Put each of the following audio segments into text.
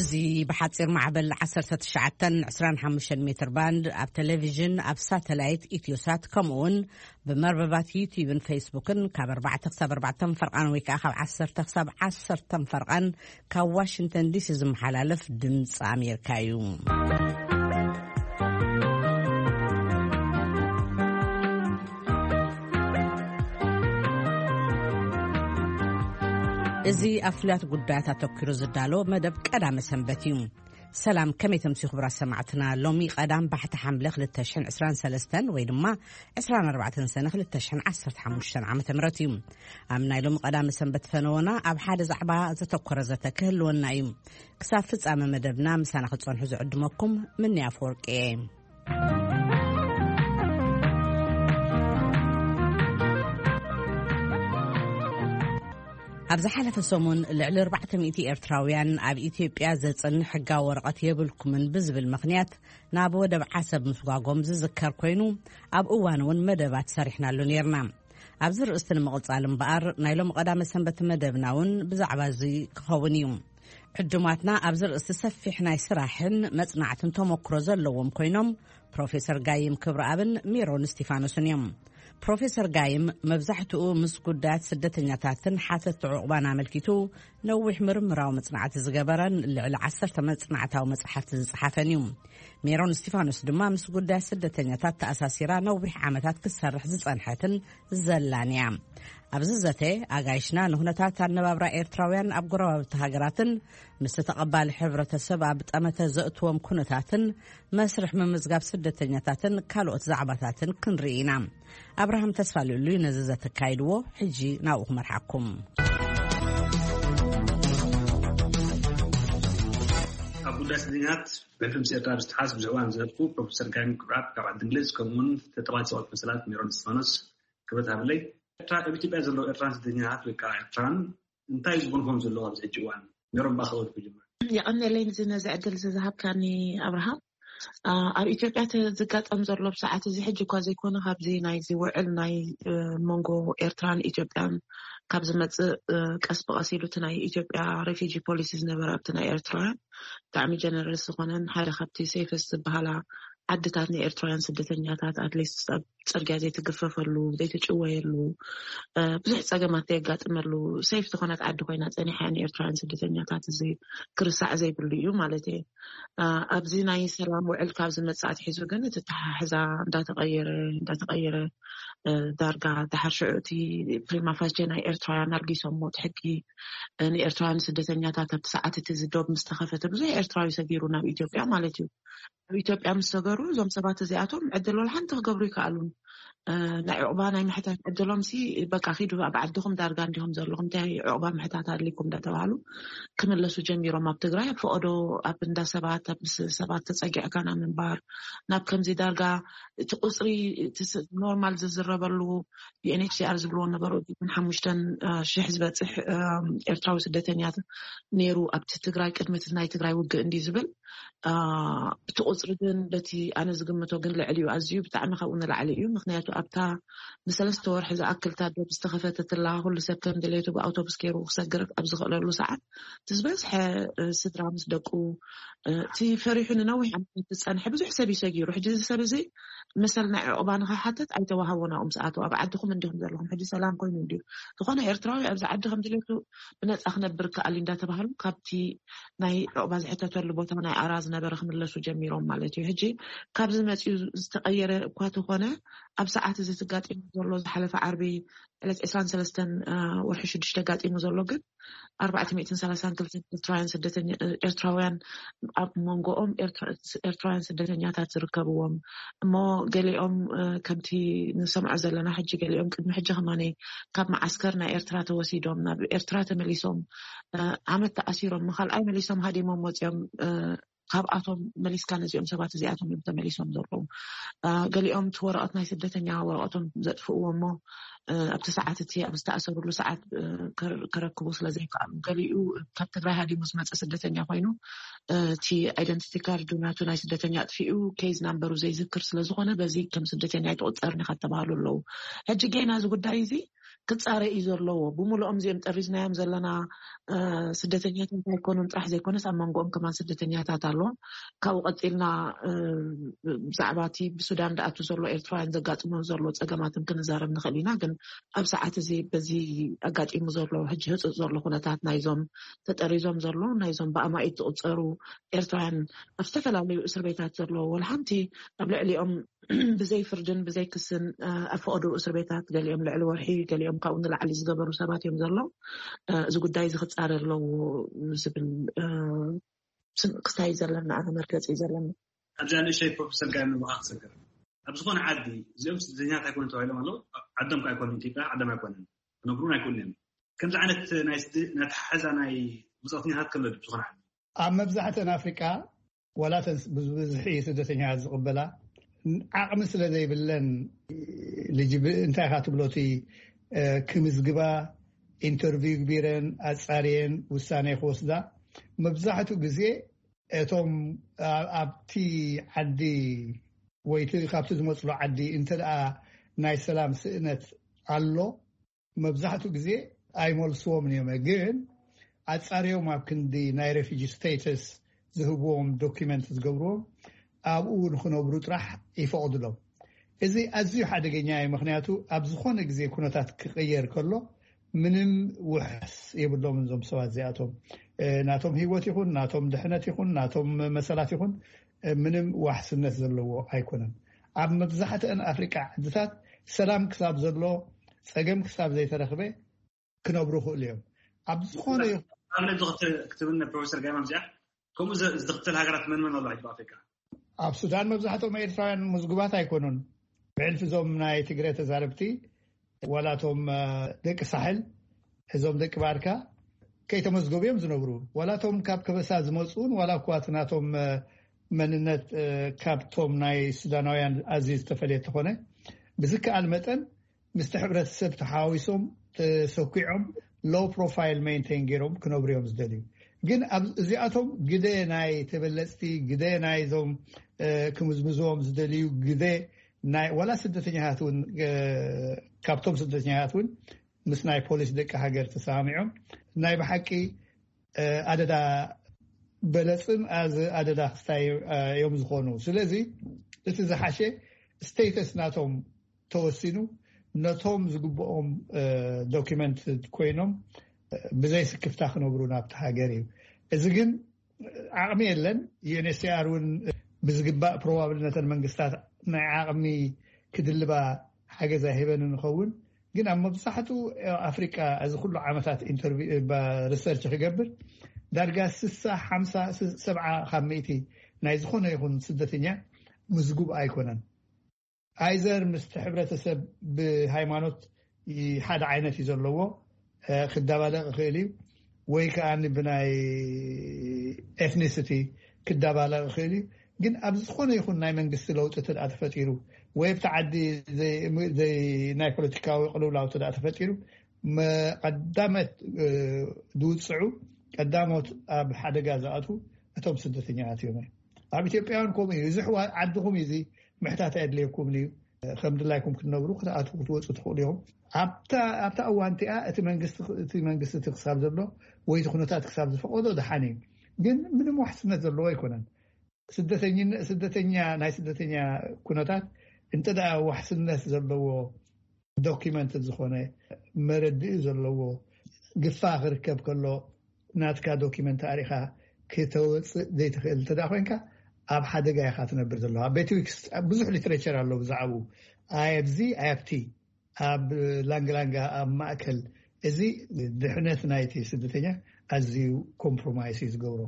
እዚ ብሓጺር ማዕበል ዓሰርተ ትሽዓተ ዕስራን ሓሙሽተን ሜትር ባንድ፣ ኣብ ቴሌቪዥን፣ ኣብ ሳተላይት ኢትዮሳት፣ ከምኡ እውን ብመርበባት ዩቲዩብን ፌስቡክን ካብ ኣርባዕተ ክሳብ ኣርባዕተ ፈርቓን ወይ ከዓ ካብ ዓሰርተ ክሳብ ዓሰርተ ፈርቓን ካብ ዋሽንግተን ዲሲ ዝመሓላለፍ ድምፂ ኣሜሪካ እዩ። እዚ ኣብ ፍሉያት ጉዳያት ኣተኲሩ ዝዳሎ መደብ ቀዳመ ሰንበት እዩ። ሰላም፣ ከመይ ተምሲ ክቡራት ሰማዕትና? ሎሚ ቀዳም ባሕቲ ሓምለ ክልተ ሽሕን ዕስራን ሰለስተን ወይ ድማ ዕስራን ኣርባዕተን ሰነ ክልተ ሽሕን ዓሰርተ ሓሙሽተን ዓመተ ምህረት እዩ። ኣብ ናይ ሎሚ ቀዳመ ሰንበት ፈነወና ኣብ ሓደ ዛዕባ ዘተኮረ ዘተ ክህልወና እዩ። ክሳብ ፍጻመ መደብና ምሳና ክትጸንሑ ዝዕድመኩም ምኒ ኣፈወርቂ እየ። ኣብ ዝሓለፈ ሰሙን ልዕሊ ኣርባዕተ ሚእቲ ኤርትራውያን ኣብ ኢትዮጵያ ዘጽንሕ ሕጋዊ ወረቐት የብልኩምን ብዝብል ምኽንያት ናብ ወደብ ዓሰብ ምስጓጎም ዝዝከር ኮይኑ፣ ኣብ እዋን እውን መደባት ሰሪሕናሉ ነይርና። ኣብዚ ርእስቲ ንምቕጻል እምበኣር፣ ናይ ሎሚ ቀዳመ ሰንበት መደብና እውን ብዛዕባ እዚ ክኸውን እዩ። ዕዱማትና ኣብዚ ርእስቲ ሰፊሕ ናይ ስራሕን መጽናዕትን ተመክሮ ዘለዎም ኮይኖም፣ ፕሮፌሰር ጋይም ክብረኣብን ሜሮን እስቲፋኖስን እዮም። ፕሮፌሰር ጋይም መብዛሕትኡ ምስ ጉዳያት ስደተኛታትን ሓተቲ ዕቑባን ኣመልኪቱ ነዊሕ ምርምራዊ መጽናዕቲ ዝገበረን ልዕሊ ዓሰርተ መጽናዕታዊ መጽሓፍቲ ዝጸሓፈን እዩ። ሜሮን እስቲፋኖስ ድማ ምስ ጉዳያት ስደተኛታት ተኣሳሲራ ነዊሕ ዓመታት ክትሰርሕ ዝጸንሐትን ዘላን እያ። ኣብዚ ዘተ ኣጋይሽና ንኩነታት ኣነባብራ ኤርትራውያን ኣብ ጎረባብቲ ሃገራትን ምስቲ ተቐባሊ ሕብረተሰብ ኣብ ጠመተ ዘእትዎም ኩነታትን መስርሕ ምምዝጋብ ስደተኛታትን ካልኦት ዛዕባታትን ክንርኢ ኢና። ኣብርሃም ተስፋ ልኡሉ ነዚ ዘተካይድዎ፣ ሕጂ ናብኡ ክመርሓኩም። ኣብ ጉዳይ ስደተኛታት ብሕልፊ ምስ ኤርትራ ብዝተሓዝ ብዙሕ እዋን ዝዘለፍኩ ፕሮፌሰር ጋይም ክብረኣብ ካብ ዓዲ እንግሊዝ፣ ከምኡውን ተጠባቲ ሰብኣዊ መሰላት ሜሮን እስጢፋኖስ ክብረት ሃብለይ። ኤርትራ፣ ኣብ ኢትዮጵያ ዘለዉ ኤርትራን ስደተኛታት ወይ ከዓ ኤርትራን እንታይ ዝብሉ ከም ዘለዉ ኣብዚ ሕጂ እዋን ሜሮን ባኸወት ክጅምር። የቐንየለይ ንዚ ነዚ ዕድል እዚ ዝሃብካኒ ኣብርሃም። አ፣ ኣብ ኢትዮጵያ እቲ ዝጋጠም ዘሎ ብሰዓት እዚ ሕጂ እኳ ዘይኮነ ካብዚ ናይዚ ውዕል ናይ፣ እ፣ መንጎ ኤርትራን ኢትዮጵያን ካብ ዝመጽእ፣ እ፣ ቀስ ብቐስ ኢሉ እቲ ናይ ኢትዮጵያ ሬፊጂ ፖሊሲ ዝነበረ ኣብቲ ናይ ኤርትራውያን ብጣዕሚ ጀነረስ ዝኾነን ሓደ ካብቲ ሴፈስ ዝበሃላ ዓድታት ንኤርትራውያን ስደተኛታት ኣትሊስት ኣብ ጽርግያ ዘይትግፈፈሉ፣ ዘይትጭወየሉ፣ እ፣ ብዙሕ ጸገማት ዘየጋጥመሉ ሴፍ ዝኾነት ዓዲ ኮይና ጸኒሓ እያ ንኤርትራውያን ስደተኛታት። እዚ ክርሳዕ ዘይብሉ እዩ ማለት እየ። እ፣ ኣብዚ ናይ ሰላም ውዕል ካብ ዝመጽእ ኣትሒዙ ግን እቲ ኣተሓሕዛ እንዳተቐየረ፣ እንዳተቐየረ፣ እ፣ ዳርጋ ደሓር ሽዑ እቲ ፕሪማ ፋቼ ናይ ኤርትራውያን ኣልጊሶሞ እቲ ሕጊ፣ እ፣ ንኤርትራውያን ስደተኛታት ኣብቲ ሰዓት እቲ እዚ ዶብ ምስ ተኸፈተ ብዙሕ ኤርትራዊ ሰጊሩ ናብ ኢትዮጵያ ማለት እዩ። ኣብ ኢትዮጵያ ምስ ሰገሩ እዞም ሰባት እዚኣቶም ዕድል ወላ ሓንቲ ክገብሩ ይከኣሉን። እ፣ ናይ ዕቑባ ናይ ምሕታት ዕድሎም ሲ በቃ ኪዱ ኣብ ዓድኹም ዳርጋ እንዲኹም ዘለኹም እንታይ ዕቑባ ምሕታት ኣድልይኩም እንዳተባሃሉ ክምለሱ ጀሚሮም። ኣብ ትግራይ ኣብ ፈቐዶ ኣብ እንዳ ሰባት ኣብ ምስ ሰባት ተጸጊዕካ ናብ ምንባር ናብ ከምዚ ዳርጋ እቲ ቁጽሪ እቲ ስ-፣ ኖርማል ዝዝረበሉ ዩ ኤን ኤች ሲ ኣር ዝብልዎ ነበሩ ሓሙሽተን ሽሕ ዝበጽሕ፣ እ፣ ኤርትራዊ ስደተኛት ነይሩ ኣብቲ ትግራይ ቅድሚ እቲ ናይ ትግራይ ውግእ እንዲ ዝብል። አ፣ እቲ ቁጽሪ ግን በቲ ኣነ ዝግምቶ ግን ልዕሊ እዩ፣ ኣዝዩ ብጣዕሚ ካብኡ ንላዕሊ እዩ። ምኽንያቱ ኣብታ ንሰለስተ ወርሒ ዝኣክል እታ ዶብ ዝተኸፈተትላ ኩሉ ሰብ ከም ድሌቱ ብኣውቶቡስ ገይሩ ክሰግር ኣብ ዝኽእለሉ ሰዓት እቲ ዝበዝሐ፣ እ፣ ስድራ ምስ ደቁ፣ እ፣ እቲ ፈሪሑ ንነዊሕ ዓመታት ዝጸንሐ ብዙሕ ሰብ እዩ ሰጊሩ። ሕጂ እዚ ሰብ እዚ መሰል ናይ ዕቑባ ንኽሓትት ኣይተዋህቦን ኣብኡ ምስ ኣተወ። ኣብ ዓድኹም እንዲኹም ዘለኹም ሕጂ ሰላም ኮይኑ እንድዩ። ዝኾነ ኤርትራዊ ኣብዚ ዓዲ ከም ድሌቱ ብነጻ ክነብር ከኣል እዩ እንዳተባህሉ ካብቲ ናይ ዕቑባ ዝሕተተሉ ቦታ ናይ ኣራ ዝነበረ ክምለሱ ጀሚሮም ማለት እዩ። ሕጂ ካብዚ መጺኡ ዝተቐየረ እኳ ተኾነ ኣብ ሰዓት እዚ ተጋጢሙ ዘሎ ዝሓለፈ ዓርቢ ዕለት ዕስራን ሰለስተን፣ እ፣ ወርሒ ሽዱሽተ ጋጢሙ ዘሎ ግን ኣርባዕተ ሚእትን ሰላሳን ክልተን ኤርትራውያን ስደተኛ-፣ ኤርትራውያን ኣብ መንጎኦም ኤርትራ-፣ ኤርትራውያን ስደተኛታት ዝርከብዎም እሞ ገሊኦም፣ እ፣ ከምቲ ንሰምዖ ዘለና ሕጂ ገሊኦም ቅድሚ ሕጂ ከማነ ካብ መዓስከር ናይ ኤርትራ ተወሲዶም ናብ ኤርትራ ተመሊሶም፣ እ፣ ዓመት ተኣሲሮም ካልኣይ መሊሶም ሃዲሞም ወፂኦም፣ እ፣ ካብኣቶም መሊስካ ነዚኦም ሰባት እዚኣቶም እዮም ተመሊሶም ዘለዉ። እ፣ ገሊኦም እቲ ወረቐት ናይ ስደተኛ ወረቐቶም ዘጥፍእዎ እሞ፣ እ፣ ኣብቲ ሰዓት እቲ ኣብ ዝተኣሰሩሉ ሰዓት፣ እ፣ ከር-፣ ከረክቡ ስለ ዘይከኣሉ ገሊኡ ካብ ትግራይ ሃዲሙ ዝመፀ ስደተኛ ኮይኑ፣ እ፣ እቲ ኣይደንቲቲ ካርዱ ናቱ ናይ ስደተኛ ኣጥፊኡ ኬዝ ናምበሩ ዘይዝክር ስለ ዝኾነ በዚ ከም ስደተኛ ኣይትቑፀርን ኢኻ ተባህሉ ኣለዉ። ሕጂ ጌና እዚ ጉዳይ እዚ ክጻረ እዩ ዘለዎ። ብምሉኦም እዚኦም ጠሪዝናዮም ዘለና ስደተኛታት ኣይኮኑን ጥራሕ ዘይኮነስ ኣብ መንጎኦም ከማን ስደተኛታት ኣለዎም። ካብኡ ቀፂልና ብዛዕባ እቲ ብሱዳን ዝኣቱ ዘሎ ኤርትራውያን ዘጋጥሞም ዘሎ ፀገማትን ክንዛረብ ንኽእል ኢና። ግን ኣብ ሰዓት እዚ በዚ ኣጋጢሙ ዘሎ ሕጂ ህፁፅ ዘሎ ኩነታት ናይዞም ተጠሪዞም ዘሎ ናይዞም ብኣማኢት ዝቁፀሩ ኤርትራውያን ኣብ ዝተፈላለዩ እስር ቤታት ዘሎ ወላ ሓንቲ ኣብ ልዕሊኦም ብዘይ ፍርድን ብዘይ ክስን ኣብ ፈቐዶ እስር ቤታት ገሊኦም ልዕሊ ወርሒ ገሊኦም ካብኡ ንላዕሊ ዝገበሩ ሰባት እዮም ዘሎ። እዚ ጉዳይ እዚ ክፃረ ኣለዎ ዝብል ክስታይ እዩ ዘለኒ ኣነ መርገፂ እዩ ዘለኒ። ኣብዛ ንእሽተይ ፕሮፌሰር ጋር ምብኻ ክሰግር ኣብ ዝኾነ ዓዲ እዚኦም ስደተኛታት ኣይኮኑ ተባሂሎም ኣለዉ። ዓዶም ኣይኮኑ ኢትዮጵያ ዓዶም ኣይኮነን ክነብሩን ኣይኮኑን እዮም። ከምዚ ዓይነት ናይ ኣተሓሕዛ ናይ ውፃእተኛታት ከሎ ዝኾነ ዓዲ ኣብ መብዛሕተን ኣፍሪቃ ዋላ ተን ብዝብዝሒ ስደተኛታት ዝቕበላ ዓቕሚ ስለ ዘይብለን ልጅብ እንታይ ኢኻ ትብሎ እቲ ክምዝግባ ኢንተርቪው ግቢረን ኣፃርየን ውሳኔ ክወስዳ መብዛሕትኡ ግዜ እቶም ኣብቲ ዓዲ ወይ ካብቲ ዝመፅሉ ዓዲ እንተ ናይ ሰላም ስእነት ኣሎ መብዛሕትኡ ግዜ ኣይመልስዎም እዮም። ግን ኣፃርዮም ኣብ ክንዲ ናይ ሬፊጂ ስቴተስ ዝህብዎም ዶኪመንት ዝገብርዎም ኣብኡ ንክነብሩ ጥራሕ ይፈቕድሎም። እዚ ኣዝዩ ሓደገኛ እዩ። ምክንያቱ ኣብ ዝኾነ ግዜ ኩነታት ክቕየር ከሎ ምንም ውሕስ የብሎምን እዞም ሰባት እዚኣቶም። ናቶም ህይወት ይኹን ናቶም ድሕነት ይኹን ናቶም መሰላት ይኹን ምንም ዋሕስነት ዘለዎ ኣይኮነን። ኣብ መብዛሕትአን ኣፍሪቃ ዓድታት ሰላም ክሳብ ዘሎ ፀገም ክሳብ ዘይተረኽበ ክነብሩ ይኽእሉ እዮም። ኣብ ዝኾነ ይኹን ኣብነት ክትብልና ፕሮፌሰር ጋይማ እዚኣ ከምኡ ዝኽተል ሃገራት መን መን ኣሎ ሕጂ ኣፍሪካ? ኣብ ሱዳን መብዛሕትኦም ኤርትራውያን ምዝጉባት ኣይኮኑን። ብዕልፊ እዞም ናይ ትግረ ተዛረብቲ ዋላቶም ደቂ ሳሕል እዞም ደቂ ባርካ ከይተመዝገቡ እዮም ዝነብሩ። ዋላቶም ካብ ከበሳ ዝመፁን ዋላ እኳ እቲ ናቶም መንነት ካብቶም ናይ ሱዳናውያን ኣዝዩ ዝተፈለየ ተኾነ ብዝከኣል መጠን ምስቲ ሕብረተሰብ ተሓዋዊሶም ተሰኪዖም ሎው ፕሮፋይል ሜንቴን ገይሮም ክነብሩ እዮም ዝደልዩ። ግን እዚኣቶም ግደ ናይ ተበለፅቲ ግደ ናይዞም ክምዝምዝዎም ዝደልዩ ግደ ናይ ዋላ ስደተኛታት እውን ካብቶም ስደተኛታት እውን ምስ ናይ ፖሊስ ደቂ ሃገር ተሰማሚዖም ናይ ብሓቂ ኣደዳ በለፅን ኣዚ ኣደዳ ክስታይ እዮም ዝኾኑ። ስለዚ እቲ ዝሓሸ ስቴተስ ናቶም ተወሲኑ ነቶም ዝግብኦም ዶኪመንት ኮይኖም ብዘይ ስክፍታ ክነብሩ ናብቲ ሃገር እዩ። እዚ ግን ዓቕሚ የለን። ዩኤንኤችሲኣር እውን ብዝግባእ ፕሮባብል ነተን መንግስታት ናይ ዓቕሚ ክድልባ ሓገዝ ኣይህበን ንኸውን። ግን ኣብ መብዛሕትኡ ኣፍሪቃ እዚ ኩሉ ዓመታት ኢንተርቪ ሪሰርች ክገብር ዳርጋ ስሳ ሓምሳ ሰብዓ ካብ ሚእቲ ናይ ዝኾነ ይኹን ስደተኛ ምዝጉብ ኣይኮነን። ኣይዘር ምስቲ ሕብረተሰብ ብሃይማኖት ሓደ ዓይነት እዩ ዘለዎ ክደባለቕ ይኽእል እዩ ወይ ከዓ ብናይ ኤትኒሲቲ ክደባለቕ ይኽእል እዩ። ግን ኣብ ዝኾነ ይኹን ናይ መንግስቲ ለውጢ ተደኣ ተፈጢሩ ወይ ኣብቲ ዓዲ ናይ ፖለቲካዊ ቅልውላው ተደኣ ተፈጢሩ ቀዳመት ዝውፅዑ ቀዳሞት ኣብ ሓደጋ ዝኣትዉ እቶም ስደተኛታት እዮም። ኣብ ኢትዮጵያውን ከምኡ እዩ። እዚ ዓድኹም እዩ፣ እዚ ምሕታት ኣየድልየኩምን እዩ። ከም ድላይኩም ክትነብሩ ክትኣትዉ ክትወፁ ትኽእሉ ኢኹም። ኣብታ ኣብታ እዋን እቲኣ እቲ መንግስቲ እቲ መንግስቲ እቲ ክሳብ ዘሎ ወይ እቲ ኩነታት ክሳብ ዝፈቐዶ ደሓን እዩ። ግን ምንም ዋሕስነት ዘለዎ ኣይኮነን። ስደተኛ ናይ ስደተኛ ኩነታት እንተ ደኣ ዋሕስነት ዘለዎ ዶኪመንት ዝኾነ መረድኢ ዘለዎ ግፋ ክርከብ ከሎ ናትካ ዶኪመንት ኣሪኻ ክተወፅእ ዘይትኽእል እንተ ኮይንካ ኣብ ሓደጋ ኢኻ ትነብር ዘለዋ። ቤት ዊክስ ብዙሕ ሊትሬቸር ኣሎ ብዛዕባኡ። ኣይ ኣብዚ ኣይ ኣብቲ ኣብ ላንግላንጋ ኣብ ማእከል እዚ ድሕነት ናይቲ ስደተኛ ኣዝዩ ኮምፕሮማይስ እዩ ዝገብሮ።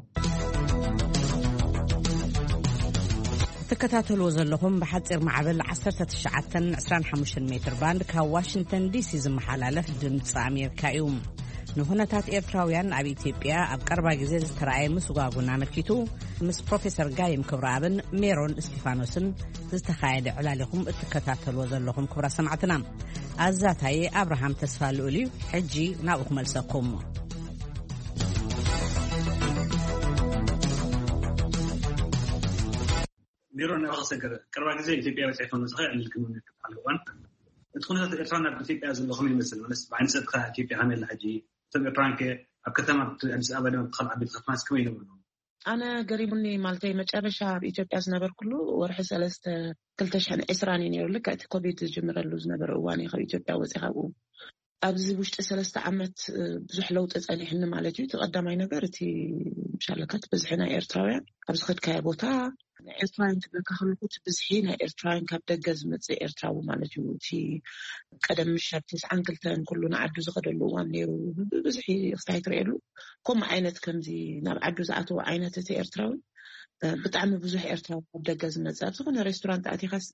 ትከታተልዎ ዘለኹም ብሓፂር ማዕበል ዓሰርተ ትሽዓተን ዕስራን ሓሙሽተን ሜትር ባንድ ካብ ዋሽንግተን ዲሲ ዝመሓላለፍ ድምፂ ኣሜሪካ እዩ። ንኩነታት ኤርትራውያን ኣብ ኢትዮጵያ ኣብ ቀረባ ግዜ ዝተረኣየ ምስጓጉን ኣመልኪቱ ምስ ፕሮፌሰር ጋይም ክብረኣብን ሜሮን እስቲፋኖስን ዝተኻየደ ዕላል ኢኹም እትከታተልዎ ዘለኹም ክቡራት ሰማዕትና። ኣዛታይ ኣብርሃም ተስፋ ልኡል እዩ። ሕጂ ናብኡ ክመልሰኩም። ሜሮን ናባኻ ክሰግር። ቀረባ ግዜ ኢትዮጵያ በፂሕኩም ንስኻ ዕልል ክንብል ንክትዓል እዋን እቲ ኩነታት ኤርትራ ናብ ኢትዮጵያ ዘሎ ከመይ ይመስል? ማለት ብዓይኒ ሰብካ ኢትዮጵያ ከመይ ኣላ ሕጂ? እቶም ኤርትራውያን ከ ኣብ ከተማ ኣዲስ ኣበባ ድማ ብካልእ ዓበይቲ ከተማስ ከመይ ይነብሩ ኣለዉ? ኣነ ገሪሙኒ ማለተይ መጨረሻ ኣብ ኢትዮጵያ ዝነበርኩሉ ወርሒ ሰለስተ ክልተ ሽሕን ዕስራን እዩ ነይሩ። ልክዕ እቲ ኮቪድ ዝጅምረሉ ዝነበረ እዋን እዩ ካብ ኢትዮጵያ ወፂእ። ካብኡ ኣብዚ ውሽጢ ሰለስተ ዓመት ብዙሕ ለውጢ ጸኒሕኒ ማለት እዩ። እቲ ቀዳማይ ነገር እቲ ምሻለካ እቲ ብዝሒ ናይ ኤርትራውያን ኣብ ዝኸድካዮ ቦታ ኤርትራውያን ክብለካ ከለኩ እቲ ብዝሒ ናይ ኤርትራውያን ካብ ደገ ዝመጽእ ኤርትራዊ ማለት እዩ። እቲ ቀደም ምሸት ተስዓን ክልተን ኩሉ ንዓዱ ዝኸደሉ እዋን ነይሩ። ብብዝሒ ክስታይ ትርእየሉ ከምኡ ዓይነት ከምዚ ናብ ዓዱ ዝኣተወ ዓይነት እቲ ኤርትራዊ ብጣዕሚ ብዙሕ ኤርትራዊ ካብ ደገ ዝመጽእ ኣብ ዝኾነ ሬስቶራንት ኣቲኻስ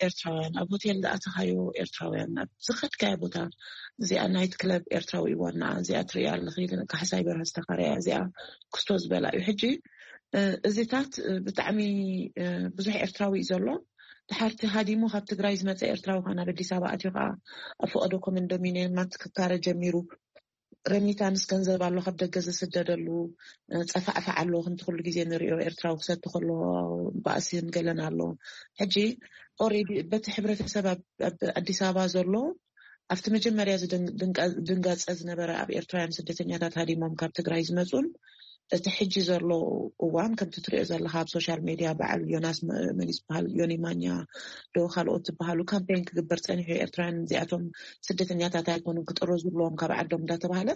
ኤርትራውያን ኣብ ሆቴል ዝኣተኻዮ ኤርትራውያን ኣብ ዝኸድካዮ ቦታ እዚኣ ናይት ክለብ ኤርትራዊ ይዋና እዚኣ ትሪያ ኣለኺ። ካሕሳይ በርሀ ዝተኻረያ እዚኣ ክስቶ ዝበላ እዩ። ሕጂ እዚታት ብጣዕሚ ብዙሕ ኤርትራዊ እዩ ዘሎ። ድሓርቲ ሃዲሙ ካብ ትግራይ ዝመፀ ኤርትራዊ ከዓ ናብ ኣዲስ ኣበባ ኣትዩ ከዓ ኣብ ፈቀዶ ኮንዶሚኒየማት ክካረ ጀሚሩ። ረሚታንስ ገንዘብ ኣሎ ካብ ደገ ዝስደደሉ፣ ጸፋዕፋዕ ኣሎ። ከምቲ ኩሉ ግዜ ንሪኦ ኤርትራዊ ክሰቲ ከሎ ባእሲን ገለን ኣሎ። ሕጂ ኦሬዲ በቲ ሕብረተሰብ ኣብ ኣዲስ ኣበባ ዘሎ ኣብቲ መጀመርያ ድንጋጸ ዝነበረ ኣብ ኤርትራውያን ስደተኛታት ሃዲሞም ካብ ትግራይ ዝመፁን እቲ ሕጂ ዘሎ እዋን ከምቲ ትሪኦ ዘለካ ኣብ ሶሻል ሜድያ በዓል ዮናስ መን ዝበሃል ዮኒ ማኛ ዶ ካልኦት ዝበሃሉ ካምፔን ክግበር ፀኒሑ ኤርትራውያን እዚኣቶም ስደተኛታት ኣይኮኑን ክጥረዙ ኣለዎም ካብ ዓዶም እንዳተባሃለ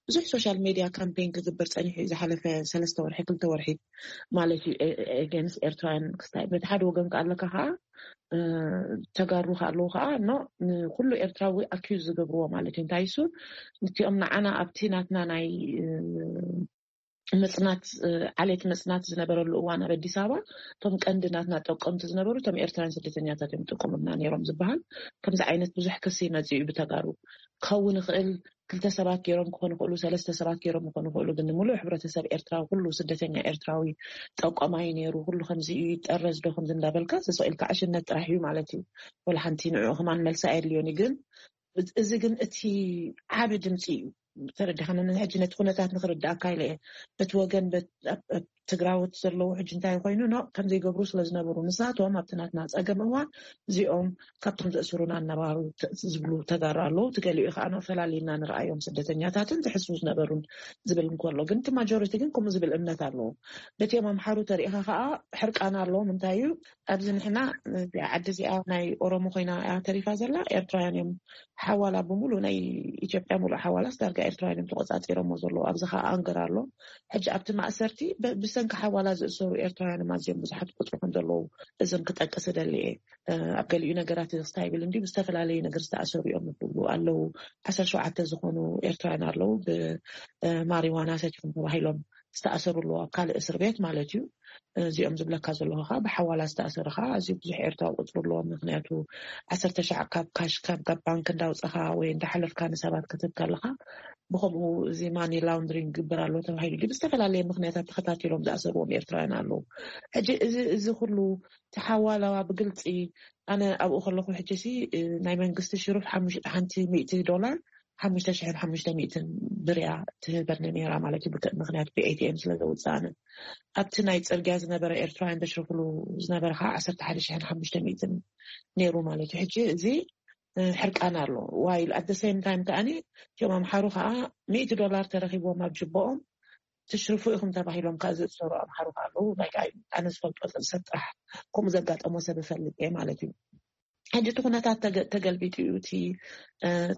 ብዙሕ ሶሻል ሜድያ ካምፔን ክግበር ፀኒሑ እዩ ዝሓለፈ ሰለስተ ወርሒ ክልተ ወርሒ ማለት እዩ። ኤጌንስ ኤርትራውያን ክስታይ በቲ ሓደ ወገን ከኣለካ ከዓ ተጋሩ ከኣለዉ ከዓ ኖ ንኩሉ ኤርትራዊ ኣኪዩዝ ዝገብርዎ ማለት እዩ። እንታይ እሱ ንቲኦም ንዓና ኣብቲ ናትና ናይ ምፅናት ዓሌት ምፅናት ዝነበረሉ እዋን ኣብ ኣዲስ ኣበባ እቶም ቀንዲ ናትና ጠቀምቲ ዝነበሩ እቶም ኤርትራውያን ስደተኛታት እዮም ጠቀሙና ነይሮም ዝበሃል ከምዚ ዓይነት ብዙሕ ክሲ ይመፅእ እዩ ብተጋሩ ክኸውን ይኽእል። ክልተ ሰባት ገይሮም ክኾኑ ይኽእሉ፣ ሰለስተ ሰባት ገይሮም ክኾኑ ይኽእሉ። ግን ንምሉእ ሕብረተሰብ ኤርትራዊ ኩሉ ስደተኛ ኤርትራዊ ጠቋማይ ነይሩ። ኩሉ ከምዚ እዩ ይጠረዝ ዶ ከምዚ እንዳበልካ ስቕ ኢልካ ዕሽነት ጥራሕ እዩ ማለት እዩ። ወላ ሓንቲ ንዕኡ ከማን መልሲ ኣየድልዮን እዩ። ግን እዚ ግን እቲ ዓቢ ድምፂ እዩ። ተረዲኻኒ ሕጂ ነቲ ኩነታት ንክርዳእካ ኢለ እየ። በቲ ወገን ትግራዎት ዘለዉ ሕጂ እንታይ ኮይኑ ኖ ከም ዘይገብሩ ስለ ዝነበሩ ንሳቶም ኣብቲ ናትና ፀገም እዋን እዚኦም ካብቶም ዘእስሩና እናባህሩ ዝብሉ ተጋሩ ኣለዉ። ትገሊኡ ከዓ ኖ ፈላሊና ንረኣዮም ስደተኛታትን ዝሕስቡ ዝነበሩን ዝብል እንከሎ ግን እቲ ማጆሪቲ ግን ከምኡ ዝብል እምነት ኣለዎ። ነቲኦም ኣምሓሩ ተሪኢኻ ከዓ ሕርቃና ኣለዎም። እንታይ እዩ ኣብዚ ንሕና እዚኣ ዓዲ እዚኣ ናይ ኦሮሞ ኮይና እያ ተሪፋ ዘላ። ኤርትራውያን እዮም ሓዋላ ብምሉ ናይ ኢትዮጵያ ሙሉእ ሓዋላስ ዳርጋ ኤርትራውያን እዮም ተቆፃፂሮሞ ዘለዉ። ኣብዚ ከዓ ኣንገር ኣሎ። ሕጂ ኣብቲ ማእሰርቲ ብሰንኪ ሓዋላ ዝእሰሩ ኤርትራውያን ኣዝዮም ብዙሓት ቁፅሪ ከም ዘለዉ እዞም ክጠቅስ እደሊ እየ። ኣብ ገሊኡ ነገራት ክስታይ ይብል እንዲ ብዝተፈላለዩ ነገር ዝተኣሰሩ እዮም ይብሉ ኣለዉ። ዓሰርተ ሸውዓተ ዝኾኑ ኤርትራውያን ኣለዉ ብማሪዋና ሰቲኹም ተባሂሎም ዝተኣሰሩ ኣለዉ ኣብ ካልእ እስር ቤት ማለት እዩ። እዚኦም ዝብለካ ዘለኹ ከዓ ብሓዋላ ዝተኣሰሩ ከዓ ኣዝዩ ብዙሕ ኤርትራዊ ቁፅሪ ኣለዎም። ምክንያቱ ዓሰርተ ሻዕ ካብ ካሽ ካብ ባንክ እንዳውፀኻ ወይ እንዳሓለፍካ ንሰባት ክትህብ ከለካ ብከምኡ እዚ ማኒ ላውንድሪንግ ግብር ኣሎ ተባሂሉ ድዩ ብዝተፈላለየ ምክንያታት ተኸታቲሎም ዝኣሰርዎም ኤርትራውያን ኣለዉ። ሕጂ እዚ እዚ ኩሉ ተሓዋላዋ ብግልፂ ኣነ ኣብኡ ከለኹ ሕጂ ሲ ናይ መንግስቲ ሽሩፍ ሓንቲ ሚእቲ ዶላር ሓሙሽተ ሽሕን ሓሙሽተ ሚእትን ብርያ ትህበኒ ነይራ ማለት እዩ። ምክንያቱ ብኤቲኤም ስለ ዘውፅኣነ ኣብቲ ናይ ፅርግያ ዝነበረ ኤርትራውያን ዘሽርፍሉ ዝነበረ ከዓ ዓሰርተ ሓደ ሽሕን ሓሙሽተ ሚእትን ነይሩ ማለት እዩ። ሕጂ እዚ ሕርቃን ኣሎ። ዋይል ኣት ሴም ታይም ከዓኒ እቲኦም ኣምሓሩ ከዓ ሚእቲ ዶላር ተረኪብዎም ኣብ ጅቦኦም ትሽርፉ ኢኹም ተባሂሎም ከዓ ዝእሰሩ ኣምሓሩ ከዓ ኣለዉ። ናይ ኣነ ዝፈልጦ ሰብ ጥራሕ ከምኡ ዘጋጠሞ ሰብ እፈልጥ እየ ማለት እዩ። ሕጂ እቲ ኩነታት ተገልቢጡ እዩ። እቲ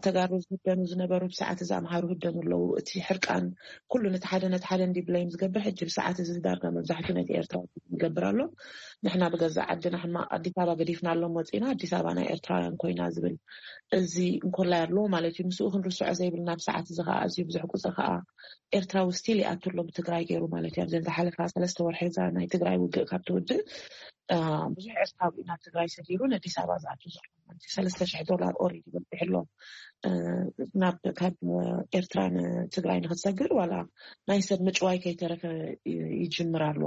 ተጋሩ ዝህደኑ ዝነበሩ ብሰዓት እዚ ኣምሃሩ ህደኑ ኣለዉ። እቲ ሕርቃን ኩሉ ነቲ ሓደ ነቲ ሓደ እንዲ ብለይም ዝገብር ሕጂ ብሰዓት እዚ ዳርጋ መብዛሕትኡ ነቲ ኤርትራ ይገብር ኣሎ። ንሕና ብገዛእ ዓድና ሕማቕ ኣዲስ ኣበባ ገዲፍና ኣሎ መፂና ኣዲስ ኣበባ ናይ ኤርትራውያን ኮይና ዝብል እዚ እንኮላይ ኣለዎ ማለት እዩ። ምስኡ ክንርስዖ ዘይብልና ብሰዓት እዚ ከዓ ኣዝዩ ብዙሕ ቁፅሪ ከዓ ኤርትራዊ ስቲል ይኣቱ ኣሎ ብትግራይ ገይሩ ማለት እዩ። ኣብዘን ዝሓለፋ ሰለስተ ወርሒ እዛ ናይ ትግራይ ውግእ ካብ ትውድእ ብዙሕ ኤርትራዊ ናብ ትግራይ ሰዲሩ ንኣዲስ ኣበባ ዝኣቱ ዘሎ ማለት እዩ። ሰለስተ ሽሕ ዶላር ኦሬዲ በፂሑ ኣሎ። ናብ ካብ ኤርትራ ንትግራይ ንክትሰግር ዋላ ናይ ሰብ ምጭዋይ ከይተረፈ ይጅምር ኣሎ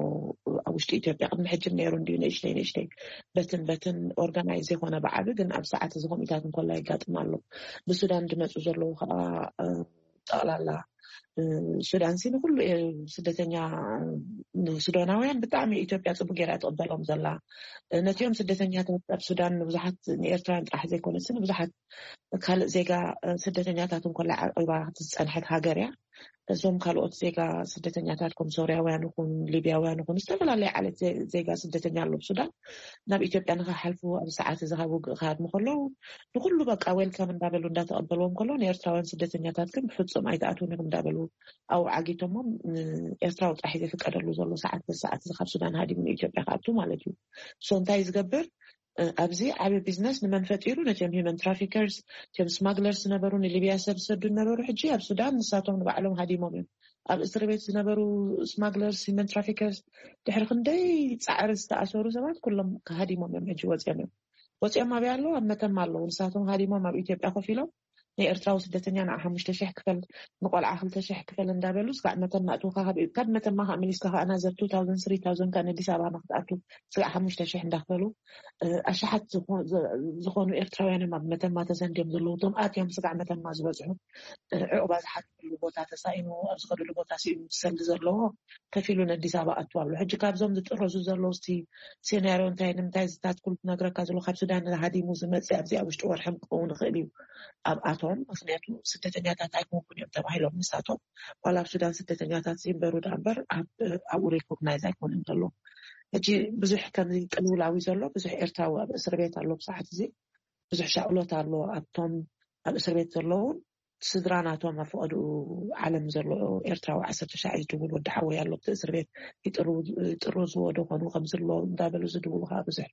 ኣብ ውሽጢ ኢትዮጵያ። ቅድሚ ሕጂ ነይሩ እንዲዩ ንእሽተይ ንእሽተይ በትን በትን ኦርጋናይዝ የኮነ ብዓቢ ግን ኣብ ሰዓት እዚ ኮሚታት እንኮላ ይጋጥም ኣሎ። ብሱዳን ዝመፁ ዘለዉ ከዓ ጠቕላላ ሱዳን ሲ ንኩሉ ስደተኛ፣ ንሱዳናውያን ብጣዕሚ ኢትዮጵያ ጽቡቅ ገይራ ትቕበሎም ዘላ። ነቲኦም ስደተኛታት ኣብ ሱዳን ንብዙሓት ንኤርትራውያን ጥራሕ ዘይኮነስ ንብዙሓት ካልእ ዜጋ ስደተኛታት እንኮላ ዓቂባ ዝጸንሐት ሃገር እያ። እዞም ካልኦት ዜጋ ስደተኛታት ከም ሶርያውያን ይኹን ሊብያውያን ይኹን ዝተፈላለየ ዓይነት ዜጋ ስደተኛ ኣሎ ሱዳን ናብ ኢትዮጵያ ንኸሓልፉ ኣብ ሰዓት እዚ ካብ ውግእ ክሃድሙ ከለዉ ንኩሉ በቃ ዌልካም እንዳበሉ እንዳተቐበልዎም ከለዉ ንኤርትራውያን ስደተኛታት ግን ብፍጹም ኣይትኣትውን ኢኹም እንዳበሉ ኣብኡ ዓጊቶሞም። ኤርትራዊ ጥራሕ ዝፍቀደሉ ዘሎ ሰዓት ሰዓት እዚ ካብ ሱዳን ሃዲሙ ንኢትዮጵያ ክኣቱ ማለት እዩ። ሶ እንታይ ዝገብር ኣብዚ ዓቢ ቢዝነስ ንመን ፈጢሩ? ነቲኦም ሂመን ትራፊከርስ፣ እቲኦም ስማግለርስ ዝነበሩ ንሊብያ ሰብ ዝሰዱ ዝነበሩ ሕጂ ኣብ ሱዳን ንሳቶም ንባዕሎም ሃዲሞም እዮም። ኣብ እስር ቤት ዝነበሩ ስማግለርስ ሂመን ትራፊከርስ ድሕሪ ክንደይ ጻዕሪ ዝተኣሰሩ ሰባት ኩሎም ሃዲሞም እዮም። ሕጂ ወፂኦም እዮም። ወፂኦም ኣብያ ኣለዉ ኣብ መተማ ኣለዉ። ንሳቶም ሃዲሞም ኣብ ኢትዮጵያ ኮፍ ኢሎም ንኤርትራዊ ስደተኛ ንዓ ሓሙሽተ ሽሕ ክፈል፣ ንቆልዓ ክልተ ሽሕ ክፈል እንዳበሉ ስጋዕ መተማ እትውካ ካብ መተማ ከዓ መሊስካ ከዓ ናዘር two thousand three thousand ከ ነዲስ ኣበባ ንክትኣቱ ስጋዕ ሓሙሽተ ሽሕ እንዳክፈሉ ኣሽሓት ዝኾኑ ኤርትራውያን እዮም ኣብ መተማ ተሰንድዮም ዘለዉ። እቶም ኣትዮም ስጋዕ መተማ ዝበፅሑ ዕቁባ ዝሓትሉ ቦታ ተሳኢኑ ኣብ ዝኸድሉ ቦታ ስኢኑ ዝሰሊ ዘለዎ ከፊሉ ነዲስ ኣበባ ኣቱ ኣሎ። ሕጂ ካብዞም ዝጥረዙ ዘለዉ ቲ ሴናርዮ እንታይ ንምንታይ ዝታትኩል ክነግረካ ዘሎ ካብ ሱዳን ሃዲሙ ዝመፅእ ኣብዚ ኣብ ውሽጢ ወርሕም ክኸውን ይኽእል እዩ ኣብኣቶም። ምክንያቱ ስደተኛታት ኣይኮንኩን እዮም ተባሂሎም ንሳቶም ዋላ ኣብ ሱዳን ስደተኛታት ዘይንበሩ ዳ እምበር ኣብኡ ሪኮግናይዝ ኣይኮኑን ዘለዉ። ሕጂ ብዙሕ ከምዚ ቅልውላዊ ዘሎ ብዙሕ ኤርትራዊ ኣብ እስር ቤት ኣሎ ብሰዓት እዚ ብዙሕ ሻቕሎት ኣሎ ኣብቶም ኣብ እስር ቤት ዘለውን ስድራ ናቶም ኣብ ፈቐድኡ ዓለም ዘሎ ኤርትራዊ ዓሰርተ ሻዕ ዝድውል ወዲ ሓወይ ኣሎ ኣብቲ እስር ቤት ይጥርዝዎ ዶ ኮኑ ከምዝሎ እንዳበሉ ዝድውሉ ከዓ ብዙሕ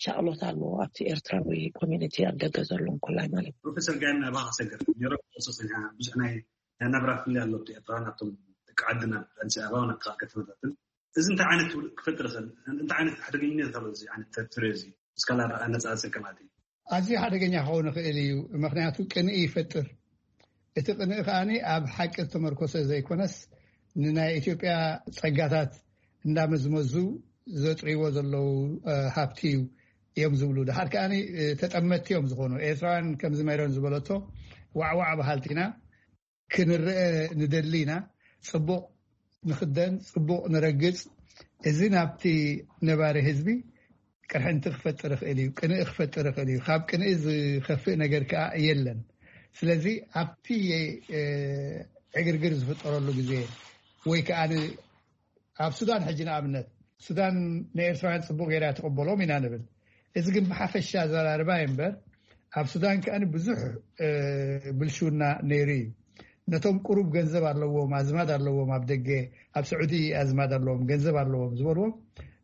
ሻቕሎት ኣለዎ ኣብቲ ኤርትራዊ ኮሚኒቲ ኣብ ደገ ዘሎ እንኮላይ ማለት እዩ። ፕሮፌሰር ጋይም ናባኻ ሰገር ኔሮ ሶስተኛ ብዙሕ ናይ ናይ ናብራ ፍልይ ኣሎ ኣብቲ ኤርትራን ኣብቶም ደቂ ዓድና ኣዲስ ኣበባ ናብ ካልእ ከተማታትን እዚ እንታይ ዓይነት ውድቅ ክፈጥር ይኽእል? እንታይ ዓይነት ሓደገኛነት ኣሎ እዚ ዓይነት ተርትሪ እዚ? እስካላ ኣነጻጽር ከማት እዩ። ኣዝዩ ሓደገኛ ክኸውን ይኽእል እዩ፣ ምኽንያቱ ቅንኢ ይፈጥር። እቲ ቅንኢ ከኣ ኣብ ሓቂ ዝተመርኮሰ ዘይኮነስ ንናይ ኢትዮጵያ ጸጋታት እንዳመዝመዙ ዘጥርይዎ ዘለዉ ሃብቲ እዩ እዮም ዝብሉ። ድሓር ከኣ ተጠመትቲ እዮም ዝኾኑ። ኤርትራውያን ከምዚ ሜሮን ዝበለቶ ዋዕዋዕ በሃልቲ ኢና። ክንረአ ንደሊ ኢና። ጽቡቕ ንኽደን፣ ጽቡቕ ንረግጽ። እዚ ናብቲ ነባሪ ህዝቢ ቅርሕንቲ ክፈጥር ይኽእል እዩ፣ ቅንኢ ክፈጥር ይኽእል እዩ። ካብ ቅንኢ ዝኸፍእ ነገር ከኣ የለን። ስለዚ ኣብቲ ዕግርግር ዝፍጠረሉ ግዜ ወይ ከኣ ኣብ ሱዳን ሕጂ ንኣብነት ሱዳን ንኤርትራውያን ጽቡቕ ገይራ ትቕበሎም ኢና ንብል። እዚ ግን ብሓፈሻ ኣዘራርባ እዩ እምበር ኣብ ሱዳን ከኣ ብዙሕ ብልሽውና ነይሩ እዩ። ነቶም ቁሩብ ገንዘብ ኣለዎም ኣዝማድ ኣለዎም ኣብ ደገ ኣብ ስዑዲ ኣዝማድ ኣለዎም ገንዘብ ኣለዎም ዝበልዎም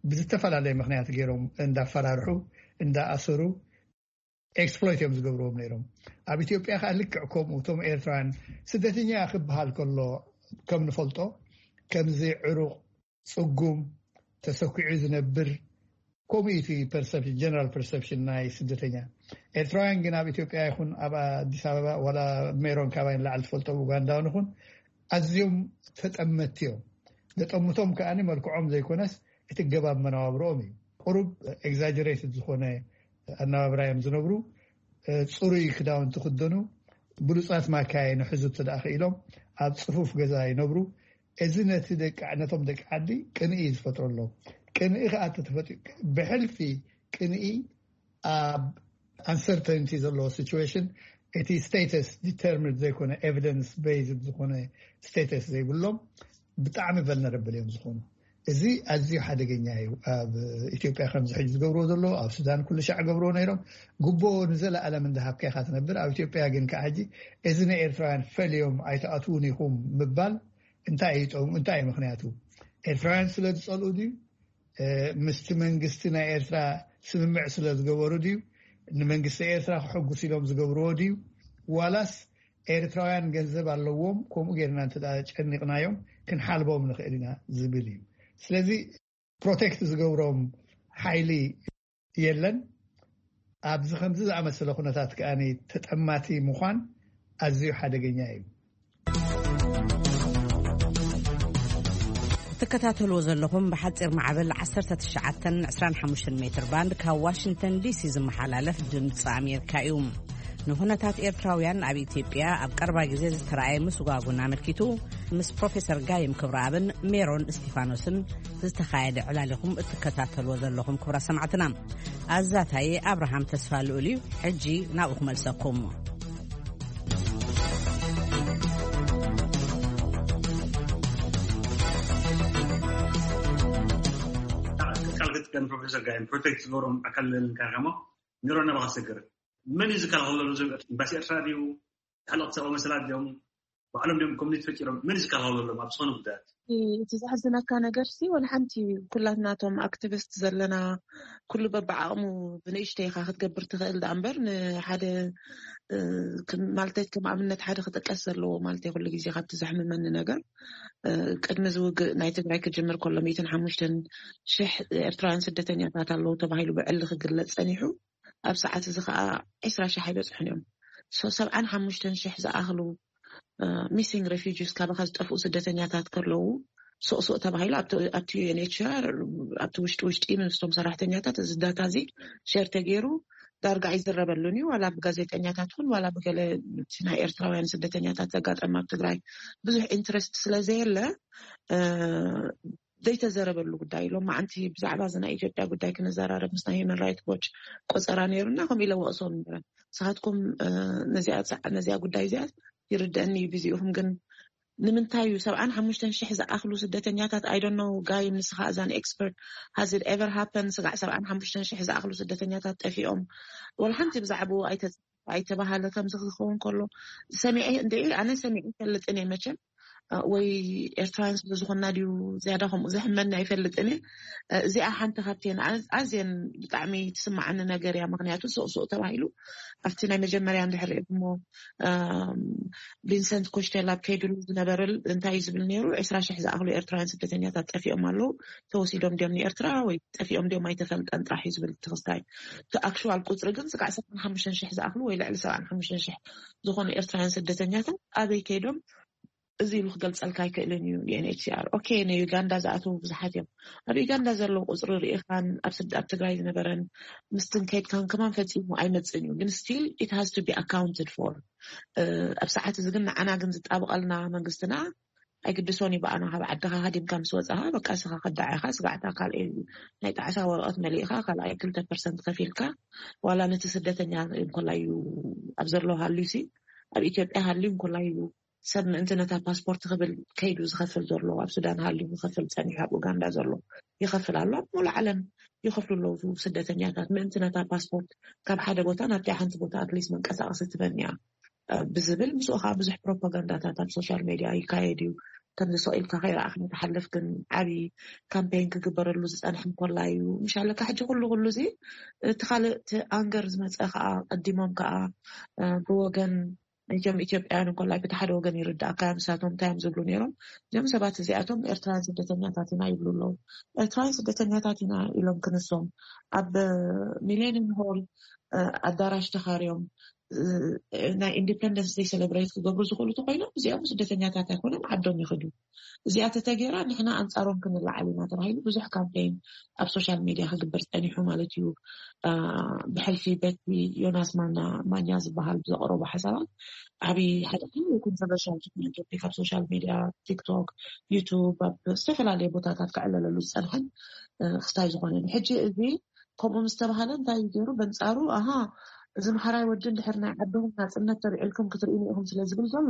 ብዝተፈላለየ ምክንያት ገይሮም እንዳፈራርሑ እንዳኣሰሩ ኤክስፕሎይት እዮም ዝገብርዎም ነይሮም። ኣብ ኢትዮጵያ ከዓ ልክዕ ከምኡ እቶም ኤርትራውያን ስደተኛ ክበሃል ከሎ ከም ንፈልጦ ከምዚ ዕሩቕ፣ ጽጉም፣ ተሰኪዑ ዝነብር ከምኡ እዩ እቲ ፐርሰፕሽን ጀነራል ፐርሰፕሽን ናይ ስደተኛ። ኤርትራውያን ግን ኣብ ኢትዮጵያ ይኹን ኣብ ኣዲስ ኣበባ ዋላ ሜሮን ካባይ ንላዕሊ ትፈልጦ ኡጋንዳውን ይኹን ኣዝዮም ተጠመትቲ እዮም። ዘጠምቶም ከኣ መልክዖም ዘይኮነስ እቲ ገባብ መነባብሮኦም እዩ። ቁሩብ ኤግዛጀሬትድ ዝኾነ ኣነባብራ እዮም ዝነብሩ። ጽሩይ ክዳውንቲ ክደኑ፣ ብሉጻት ማካይን ሕዙ እንተ ደኣ ክኢሎም ኣብ ጽፉፍ ገዛ ይነብሩ። እዚ ነቲ ደቂ ነቶም ደቂ ዓዲ ቅንኢ እዩ ዝፈጥረሎም። ቅንኢ ከዓ ተፈጢ ብሕልፊ ቅንኢ ኣብ ኣንሰርተንቲ ዘለዎ ሲቹዌሽን እቲ ስቴተስ ዲተርሚንድ ዘይኮነ ኤቪደንስ ቤዝድ ዝኾነ ስቴተስ ዘይብሎም ብጣዕሚ ቨልነረብል እዮም ዝኾኑ። እዚ ኣዝዩ ሓደገኛ እዩ። ኣብ ኢትዮጵያ ከምዚ ሕጂ ዝገብርዎ ዘለዎ ኣብ ሱዳን ኩሉ ሻዕ ገብርዎ ነይሮም። ጉቦ ንዘለኣለም እንዳሃብካ ኢኻ ትነብር። ኣብ ኢትዮጵያ ግን ከዓ ሕጂ እዚ ናይ ኤርትራውያን ፈልዮም ኣይትኣትውን ኢኹም ምባል እንታይ እዩ ጠሙ? እንታይ እዩ ምክንያቱ? ኤርትራውያን ስለ ዝጸልኡ ድዩ? ምስቲ መንግስቲ ናይ ኤርትራ ስምምዕ ስለ ዝገበሩ ድዩ? ንመንግስቲ ኤርትራ ክሕጉስ ኢሎም ዝገብርዎ ድዩ? ዋላስ ኤርትራውያን ገንዘብ ኣለዎም፣ ከምኡ ጌርና እንተ ጨኒቕናዮም ክንሓልቦም ንኽእል ኢና ዝብል እዩ። ስለዚ ፕሮቴክት ዝገብሮም ሓይሊ የለን። ኣብዚ ከምዚ ዝኣመሰለ ኩነታት ከኣ ተጠማቲ ምዃን ኣዝዩ ሓደገኛ እዩ። ትከታተልዎ ዘለኹም ብሓፂር ማዕበል ዓሰርተ ትሽዓተ ዕስራን ሓሙሽተን ሜትር ባንድ ካብ ዋሽንግተን ዲሲ ዝመሓላለፍ ድምፂ ኣሜሪካ እዩ። ንኹነታት ኤርትራውያን ኣብ ኢትዮጵያ ኣብ ቀረባ ግዜ ዝተረኣየ ምስጓጉን ኣመልኪቱ ምስ ፕሮፌሰር ጋይም ክብረኣብን ሜሮን እስቲፋኖስን ዝተኻየደ ዕላል ኢኹም እትከታተልዎ ዘለኹም። ክብራ ሰማዕትና፣ ኣዛታየ ኣብርሃም ተስፋ ልኡል እዩ። ሕጂ ናብኡ ክመልሰኩም። ቃል ክትቀን ፕሮፌሰር ጋይም ፕሮቴክት ዝገብሮም ኣካል ልንካርካሞ ሜሮን ናባኻ ሰገር። መን እዩ ዝከላኸለሉ? እዞም ኤምባሲ ኤርትራ ድዩ? ተሓለቕቲ ሰብኣዊ መሰላት ድዮም? ባዕሎም ድዮም ኮሚኒቲ ፈጢሮም? መን እዩ ዝከላኸለሎም ኣብ ዝኾነ ጉዳያት? እቲ ዘሕዝነካ ነገር ሲ፣ ወላ ሓንቲ፣ ኩላትናቶም ኣክቲቪስት ዘለና፣ ኩሉ በብዓቕሙ ብንእሽተይ ኢኻ ክትገብር ትኽእል። ደኣ እምበር ንሓደ፣ እ፣ ከም፣ ማለተይ ከም ኣብነት ሓደ ክጥቀስ ዘለዎ፣ ማለተይ ኩሉ ግዜ ካብቲ ዘሕምመኒ ነገር፣ እ፣ ቅድሚ ዝውግእ ናይ ትግራይ ክጅምር ከሎ ሚእትን ሓሙሽተን ሽሕ ኤርትራውያን ስደተኛታት ኣለዉ ተባሂሉ ብዕሊ ክግለጽ ጸኒሑ። ኣብ ሰዓት እዚ ከዓ ዕስራ ሽሕ ኣይበጽሑን እዮም። So ሰብዓን ሓሙሽተን ሽሕ ዝኣኽሉ ሚሲንግ ሬፊጂስ፣ ካባኻ ዝጠፍኡ ስደተኛታት ከለዉ፣ ሱቕ ሱቕ ተባሂሉ ኣብቲ፣ ኣብቲ ዩ ኤን ኤች ሲ ኣር፣ ኣብቲ ውሽጢ ውሽጢ ምስቶም ሰራሕተኛታት እዚ ዳታ እዚ ሸር ተገይሩ ዳርጋ ኣይዝረበሉን እዩ። ዋላ ብጋዜጠኛታት እውን፣ ዋላ ብገለ እቲ ናይ ኤርትራውያን ስደተኛታት ዘጋጠመ ኣብ ትግራይ ብዙሕ ኢንትረስት ስለ ዘየለ፣ እ፣ ዘይተዘረበሉ ጉዳይ እዩ። ሎማዓንቲ ብዛዕባ እዚ ናይ ኢትዮጵያ ጉዳይ ክንዘራረብ ምስ ናይ ሂውማን ራይት ዎች ቆጸራ ነይሩና፣ ከምኡ ኢለ ወቕሶም ነይረ። ንስኻትኩም፣ እ፣ ነዚኣ ጻ-፣ ነዚኣ ጉዳይ እዚኣ ይርደአኒ እዩ፣ ቢዚ ኢኹም፣ ግን ንምንታይ እዩ ሰብዓን ሓሙሽተን ሽሕ ዝኣኽሉ ስደተኛታት? I don't know፣ ጋይ፣ ንስኻ እዛን ኤክስፐርት፣ has it ever happened? ስጋዕ ሰብዓን ሓሙሽተን ሽሕ ዝኣኽሉ ስደተኛታት ጠፊኦም፣ ወላ ሓንቲ ብዛዕባኡ ኣይተ-፣ ኣይተባሃለ። ከምዚ ክኸውን ከሎ ሰሚዐ እንደ፣ ኣነ ሰሚዐ ይፈልጥን እየ መቸም፣ እ፣ ወይ ኤርትራውያን ስለ ዝኾንና ድዩ ዝያዳ ከምኡ ዘሕመኒ ኣይፈልጥን እየ። እ፣ እዚኣ ሓንቲ ካብተን ኣ-፣ ኣዝየን ብጣዕሚ ትስማዓኒ ነገር እያ። ምኽንያቱ ሱቕ ሱቕ ተባሂሉ ኣብቲ ናይ መጀመርያ እንድሕር ሪእኩሞ፣ እም፣ ቪንሰንት ኮሽቴል ኣብ ከይድሉ ዝነበረ እንታይ እዩ ዝብል ነይሩ? ዕስራ ሽሕ ዝኣኽሉ ኤርትራውያን ስደተኛታት ጠፊኦም ኣለዉ፣ ተወሲዶም ድዮም ንኤርትራ ወይ ጠፊኦም ድዮም ኣይተፈልጠን ጥራሕ እዩ ዝብል እቲ ክስታይ። እቲ ኣክሽዋል ቁጽሪ ግን ስጋዕ ሰብዓን ሓሙሽተን ሽሕ ዝኣኽሉ ወይ ልዕሊ ሰብዓን ሓሙሽተን ሽሕ ዝኾኑ ኤርትራውያን ስደተኛታት ኣበይ ከይዶም? እዚ ኢሉ ክገልጸልካ ኣይክእልን እዩ። ዩ ኤን ኤች ሲ ኣር፣ ኦኬ፣ ንዩጋንዳ ዝኣተዉ ብዙሓት እዮም። ኣብ ዩጋንዳ ዘለዉ ቁጽሪ ርኢኻን ኣብ ስድ-፣ ኣብ ትግራይ ዝነበረን ምስትን ከይድካን ከማን ፈጺሙ ኣይመጽእን እዩ። ግን still it has to be accounted for። እ፣ ኣብ ሰዓት እዚ ግን ንዓና ግን ዝጣብቐልና መንግስትና ኣይግድሶን እዩ። ብኣና ካብ ዓድኻ ሃዲምካ ምስ ወጻኻ፣ በቃ፣ እስኻ ከዳዕ ኢኻ። ስጋዕታ ካልኣይ ናይ ጣዕሳ ወረቐት መሊእኻ፣ ካልኣይ ክልተ ፐርሰንት ከፊልካ፣ ዋላ ነቲ ስደተኛ እንኮላ እዩ ኣብ ዘሎ ሃልዩሲ፣ ኣብ ኢትዮጵያ ሃልዩ እንኮላ እዩ ሰብ ምእንቲ ነታ ፓስፖርት ክብል ከይዱ ዝኸፍል ዘሎ፣ ኣብ ሱዳን ሃልዩ ዝኸፍል ጸኒሑ፣ ኣብ ኡጋንዳ ዘሎ ይኸፍል ኣሎ። ኣብ ሙሉእ ዓለም ይኸፍሉ ኣለዉ ስደተኛታት ምእንቲ ነታ ፓስፖርት ካብ ሓደ ቦታ ናብቲ ሓንቲ ቦታ ኣትሊስት መንቀሳቐሲ ትበን እያ፣ እ፣ ብዝብል ምስኡ ከዓ ብዙሕ ፕሮፓጋንዳታት ኣብ ሶሻል ሜድያ ይካየድ እዩ። ከምዚ ስቕ ኢልካ ከይረኣኽና ትሓልፍ ግን ዓብዪ ካምፔን ክግበረሉ ዝጸንሐ እንኮላ እዩ። ምሻለካ ሕጂ ኩሉ ኩሉ እዚ እቲ ካልእ እቲ ኣንገር ዝመጸ ከዓ ቀዲሞም ከዓ፣ እ፣ ብወገን እቶም ኢትዮጵያውያን እንኮላይ በቲ ሓደ ወገን ይርዳእካ እዮም። ንሳቶም እንታይ እዮም ዝብሉ ነይሮም? እዚኦም ሰባት እዚኣቶም ኤርትራውያን ስደተኛታት ኢና ይብሉ ኣለዉ። ኤርትራውያን ስደተኛታት ኢና ኢሎም ክንሶም ኣብ ሚሌኒየም ሆል፣ እ፣ ኣዳራሽ ተኻርዮም፣ እ፣ ናይ ኢንዲፐንደንስ ደይ ሴሌብሬት ክገብሩ ዝኽእሉ ተኮይኖም፣ እዚኦም ስደተኛታት ኣይኮነን፣ ዓዶም ይኽዱ። እዚኣ ተተገይራ ንሕና ኣንጻሮም ክንለዓል ኢና ተባሂሉ ብዙሕ ካምፔን ኣብ ሶሻል ሜድያ ክግበር ጸኒሑ ማለት እዩ። እ፣ ብሕልፊ በቲ ዮናስ ማና፣ ማኛ ዝበሃል ብዘቕረቦ ሓሳባት ዓብዪ ሓደ ኮንትሮቨርሻል ዝኾነ ቶፒክ ኣብ ሶሻል ሜድያ፣ ቲክቶክ፣ ዩቱብ፣ ኣብ ዝተፈላለየ ቦታታት ክዕለለሉ ዝጸንሐን፣ እ፣ ክስታይ ዝኾነን። ሕጂ እዚ ከምኡ ምስ ተባሃለ እንታይ እዩ ገይሩ? በንጻሩ፣ ኣሃ፣ እዚ ምሓራይ ወዲ እንድሕር ናይ ዓድኹም ናጽነት ተልዒልኩም ክትርእይኒ ኢኹም ስለ ዝብል ዘሎ፣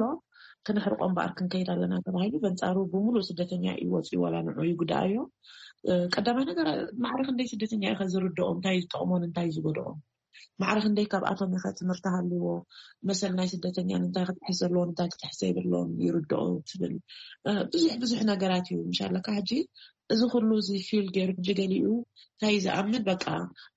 ክነሕርቆ እምበኣር ክንከይድ ኣለና ተባሂሉ፣ በንጻሩ ብምሉእ ስደተኛ እዩ ወጺኡ፣ ዋላ ንዑ ይጉዳኣዮ። እ፣ ቀዳማይ ነገር፣ ማዕረ ክንደይ ስደተኛ እዩ ከ ዝርድኦም? እንታይ እዩ ዝጠቕሞን እንታይ እዩ ዝጎድኦም? ማዕረ ክንደይ ካብኣቶም እዩ ከ ትምህርቲ ሃልዎ? መሰል ናይ ስደተኛ እንታይ ክትሕዝ ዘለዎን እንታይ ክትሕዝ ዘይብሎን ይርድኦ ትብል? እ፣ ብዙሕ ብዙሕ ነገራት እዩ። ምሻለካ ሕጂ እዚ ኩሉ እዚ ፊል ገይሩ፣ ሕጂ ገሊኡ እንታይ ዝኣምን፣ በቃ፣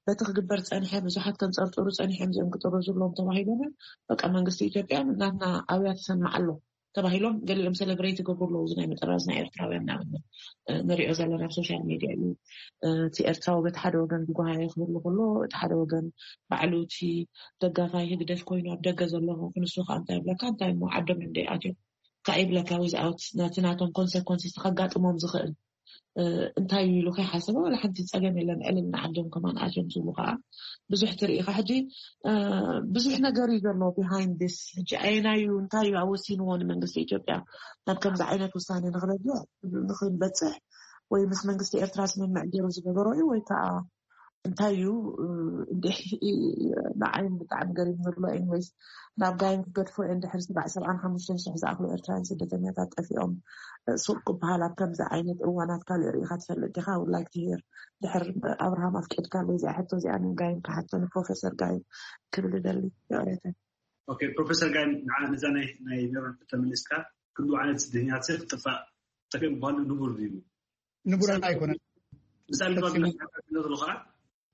በቲ ክግበር ጸንሐ፣ ብዙሓት ከንጸርጽሩ ጸኒሖም፣ እዚኦም ክጥረዙ ኣለዎም ተባሂሎም፣ በቃ፣ መንግስቲ ኢትዮጵያ ናትና ኣውያ ተሰምዕ ኣሎ ተባሂሎም፣ ገሊኦም ሰለብሬት ይገብሩ ኣለዉ። እዚ ናይ ምጥራዝ ናይ ኤርትራውያን ንኣብነት፣ እ፣ ንሪኦ ዘለና ኣብ ሶሻል ሜድያ እዩ። እ፣ እቲ ኤርትራዊ በቲ ሓደ ወገን ዝጓሃየ ክህሉ ከሎ፣ እቲ ሓደ ወገን ባዕሉ እቲ ደጋፋይ ህግደፍ ኮይኑ ኣብ ደገ ዘሎ ክንሱ ከዓ እንታይ ይብለካ፣ እንታይ እሞ ዓዶም እዮም ደይኣትዮም ከዓ ይብለካ፣ ዊዝኣውት ነቲ ናቶም ኮንሰኮንስስ ከጋጥሞም ዝኽእል። እንታይ እዩ ኢሉ ከይሓሰበ ዋላ ሓንቲ ጸገም የለን። ዕልል ንዓዶም ከማን ኣትዮም ዝብሉ ከዓ ብዙሕ ትርኢ ኢኻ። ሕጂ ብዙሕ ነገር እዩ ዘሎ behind this። ሕጂ ኣየናዩ እንታይ እዩ ኣወሲንዎ ንመንግስቲ ኢትዮጵያ ናብ ከምዚ ዓይነት ውሳኔ ንክበፅሕ ንክንበፅሕ ወይ ምስ መንግስቲ ኤርትራ ስምምዕ ገይሩ ዝገበሮ እዩ ወይ ከዓ እንታይ እዩ ንዓይም ብጣዕሚ ገሪም ዘሎ። ኤንወይስ ናብ ጋይም ክገድፎ እንድሕር ስባዕ ሰብዓን ሓሙሽተን ሽሕ ዝኣክሉ ኤርትራውያን ስደተኛታት ጠፊኦም ሱቅ ክበሃል ኣብ ከምዚ ዓይነት እዋናት ካልእ ርኢኻ ትፈልጥ ዲኻ? ውድ ላይክ ትሄር ድሕር ኣብርሃም ኣፍቂድካ ኣለይ እዚኣ ሕቶ እዚኣ ንጋይም ክሓቶ ንፕሮፌሰር ጋይም ክብል እደሊ። ይቕሬታ። ኦኬ ፕሮፌሰር ጋይም ንዓ ነዛ ናይ ናይ ሜሮን ተመሊስካ ክሉ ዓይነት ስደተኛታት ክጥፋእ ጠፊኦም ምኳኑ ንቡር ድዩ? ንቡር ኣይኮነን። ምሳሌ ድማ ክነግረሉ ከዓ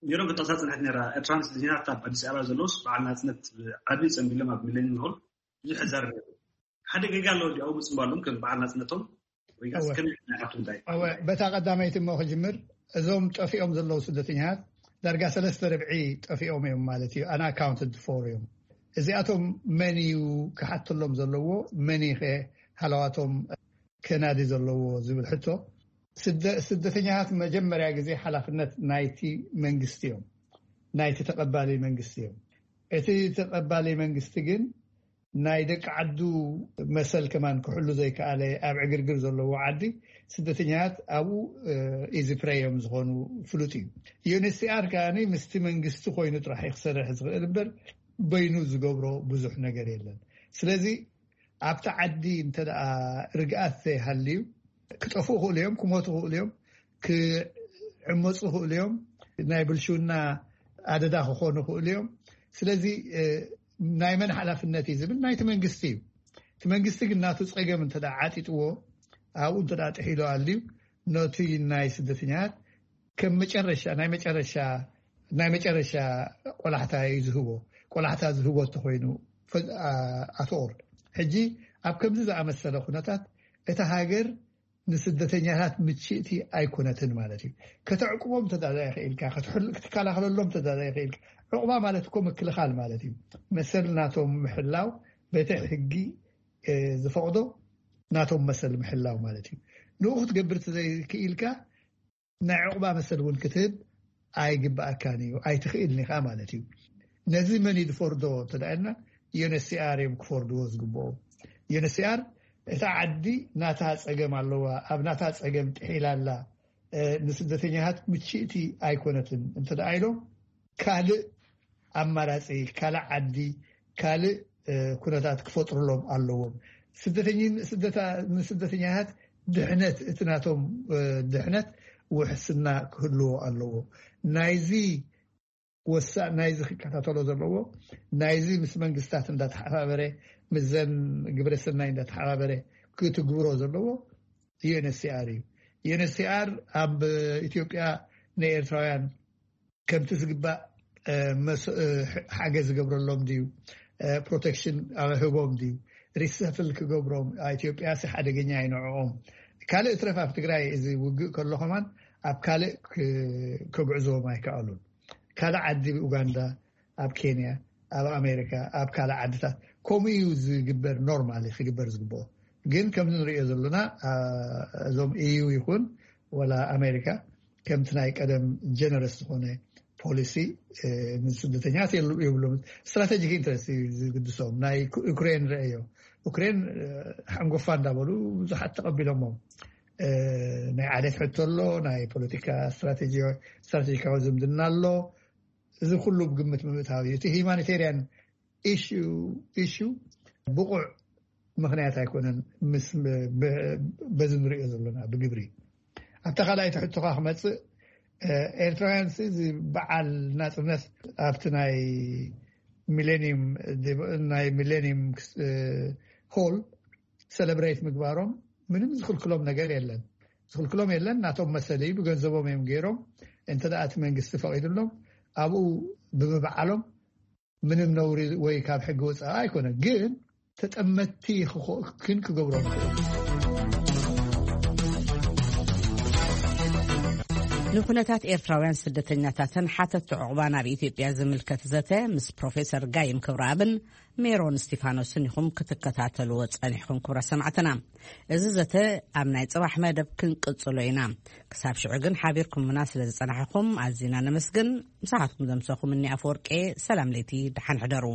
ሜሮን ክትጠቕሳ ፅንሐት ነራ። ኤርትራን ስደተኛታት ኣብ ኣዲስ ኣበባ ዘለውስ በዓል ናፅነት ዓቢ ፀንቢሎም ኣብ ሚሌኒየም ሆል ብዙሕ ሕዛር ሓደ ገጋ ኣለዎ። እንዲ ኣብኡ ምፅምባሎም ከም በዓል ናፅነቶም በታ ቀዳመይቲ እሞ ክጅምር እዞም ጠፊኦም ዘለዉ ስደተኛታት ዳርጋ ሰለስተ ርብዒ ጠፊኦም እዮም ማለት እዩ። ኣና ኣካውንትድ ፎር እዮም። እዚኣቶም መን እዩ ክሓተሎም ዘለዎ? መን እዩ ሃለዋቶም ከናዲ ዘለዎ ዝብል ሕቶ ስደተኛታት መጀመርያ ግዜ ሓላፍነት ናይቲ መንግስቲ እዮም፣ ናይቲ ተቐባሊ መንግስቲ እዮም። እቲ ተቐባሊ መንግስቲ ግን ናይ ደቂ ዓዱ መሰል ከማን ክሕሉ ዘይከኣለ ኣብ ዕግርግር ዘለዎ ዓዲ ስደተኛታት ኣብኡ ኢዚ ፕሬይ እዮም ዝኾኑ ፍሉጥ እዩ። ዩኤንኤችሲኣር ከኣ ምስቲ መንግስቲ ኮይኑ ጥራሕ ክሰርሕ ዝኽእል እምበር በይኑ ዝገብሮ ብዙሕ ነገር የለን። ስለዚ ኣብቲ ዓዲ እንተ ርግኣት ዘይሃልዩ ክጠፍኡ ክእሉ እዮም፣ ክሞቱ ክእሉ እዮም፣ ክዕመፁ ክእሉ እዮም፣ ናይ ብልሽውና ኣደዳ ክኾኑ ክእሉ እዮም። ስለዚ ናይ መን ሓላፍነት እዩ ዝብል ናይቲ መንግስቲ እዩ። እቲ መንግስቲ ግን ናቱ ፀገም እንተ ዓጢጥዎ ኣብኡ እንተ ጥሒሉ ኣልዩ ነቲ ናይ ስደተኛት ከም መጨረሻ ናይ መጨረሻ ናይ መጨረሻ ቆላሕታ እዩ ዝህቦ። ቆላሕታ ዝህቦ እንተኮይኑ ኣትኦር ሕጂ ኣብ ከምዚ ዝኣመሰለ ኩነታት እታ ሃገር ንስደተኛታት ምችእቲ ኣይኮነትን ማለት እዩ። ከተዕቁቦም ተዳዳ ይኽእልካ፣ ክትከላኸለሎም ተዳዳ ይኽእልካ። ዕቁባ ማለት እኮ ምክልኻል ማለት እዩ። መሰል ናቶም ምሕላው በቲ ሕጊ ዝፈቕዶ ናቶም መሰል ምሕላው ማለት እዩ። ንኡ ክትገብር ዘይክኢልካ ናይ ዕቑባ መሰል እውን ክትህብ ኣይግብኣካን እዩ፣ ኣይትኽእልን ኢኻ ማለት እዩ። ነዚ መን እዩ ዝፈርዶ እንተደኣልና ዩኤንኤችሲኣር እዮም ክፈርድዎ ዝግብኦ። ዩኤንኤችሲኣር እታ ዓዲ ናታ ፀገም ኣለዋ፣ ኣብ ናታ ፀገም ጥሒላ ኣላ፣ ንስደተኛታት ምችእቲ ኣይኮነትን እንተደኣ ኢሎም ካልእ ኣማራፂ ካልእ ዓዲ ካልእ ኩነታት ክፈጥሩሎም ኣለዎም። ስደተኛታት ድሕነት እቲ ናቶም ድሕነት ውሕስና ክህልዎ ኣለዎ። ናይዚ ወሳእ ናይዚ ክከታተሎ ዘለዎ ናይዚ ምስ መንግስታት እንዳተሓባበረ ምስዘን ግብረሰናይ እንዳተሓባበረ ክትግብሮ ዘለዎ ዩኤንኤችሲኣር እዩ። ዩኤንኤችሲኣር ኣብ ኢትዮጵያ ንኤርትራውያን ከምቲ ዝግባእ ሓገዝ ዝገብረሎም ድዩ? ፕሮቴክሽን ህቦም ድዩ? ሪሰፍል ክገብሮም ኢትዮጵያ ሲ ሓደገኛ ይንዕኦም። ካልእ ትረፍ ኣብ ትግራይ እዚ ውግእ ከሎ ከማን ኣብ ካልእ ከጉዕዝዎም ኣይከኣሉን። ካልእ ዓዲ ኡጋንዳ፣ ኣብ ኬንያ፣ ኣብ ኣሜሪካ፣ ኣብ ካልእ ዓድታት ከምኡ እዩ ዝግበር። ኖርማሊ ክግበር ዝግብኦ ግን ከምዚ ንሪኦ ዘለና እዞም ኢዩ ይኹን ወላ ኣሜሪካ ከምቲ ናይ ቀደም ጀነረስ ዝኾነ ፖሊሲ ንስደተኛት የብሎም። ስትራቴጂክ ኢንትረስት እዩ ዝግድሶም። ናይ ዩክሬን ረአዮ። ዩክሬን ሓንጎፋ እንዳበሉ ብዙሓት ተቐቢሎሞም። ናይ ዓሌት ሕቶ ኣሎ፣ ናይ ፖለቲካ ስትራቴጂካዊ ዝምድና ኣሎ። እዚ ኩሉ ብግምት ምእታው እዩ። እቲ ሂማኒቴርያን ኢሹ ብቑዕ ምኽንያት ኣይኮነን። በዚ ንሪኦ ዘለና ብግብሪ ኣብታ ካልኣይቲ ሕቶኻ ክመፅእ ኤርትራውያን እዚ በዓል ናፅነት ኣብቲ ናይ ሚሌኒየም ናይ ሚሌኒየም ሆል ሰለብሬት ምግባሮም ምንም ዝኽልክሎም ነገር የለን። ዝኽልክሎም የለን። ናቶም መሰል እዩ። ብገንዘቦም እዮም ገይሮም። እንተ ደኣ እቲ መንግስቲ ፈቒዱሎም ኣብኡ ብምብዓሎም ምንም ነውሪ ወይ ካብ ሕጊ ወፃኢ ኣይኮነን። ግን ተጠመትቲ ግን ክገብሮም ይኽእል። ንኩነታት ኤርትራውያን ስደተኛታትን ሓተት ዕቑባ ናብ ኢትዮጵያ ዝምልከት ዘተ ምስ ፕሮፌሰር ጋይም ክብረኣብን ሜሮን እስቲፋኖስን ኢኹም ክትከታተልዎ ጸኒሕኩም። ክብረ ሰማዕትና፣ እዚ ዘተ ኣብ ናይ ጽባሕ መደብ ክንቅጽሎ ኢና። ክሳብ ሽዑ ግን ሓቢርኩምና ስለ ዝጸናሕኩም ኣዚና ነመስግን። ምሳኻትኩም ዘምሰኹም እኒ ኣፈወርቄ። ሰላም ለይቲ፣ ደሓን ሕደሩ።